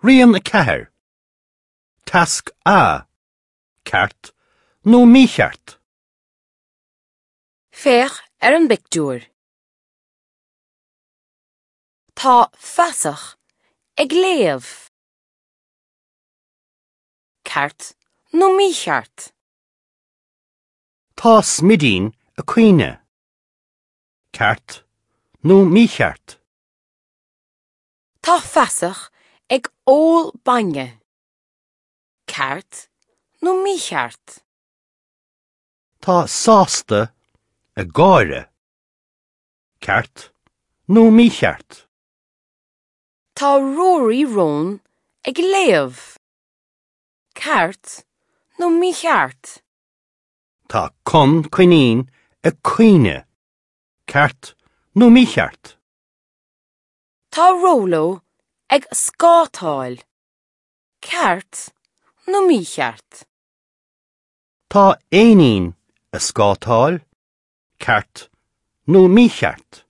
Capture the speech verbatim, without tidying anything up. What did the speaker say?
Rian a ceathair. Tasc A. Ceart nó mícheart. Féach ar an bpictiúr. Tá feasach ag léamh. Ceart nó mícheart? Tá smidín ag caoineadh. Ceart nó mícheart. Tá feasach ag ól bainne. Ceart nó mícheart? Tá sásta ag gáire. Ceart nó mícheart. Tá Rory Rón ag léamh. Ceart nó mícheart? Tá Con Coinín ag caoineadh. Ceart nó mícheart. Tá Róló ag scátáil. Ceart nó mícheart? Tá éinín ag scátáil. Ceart nó mícheart.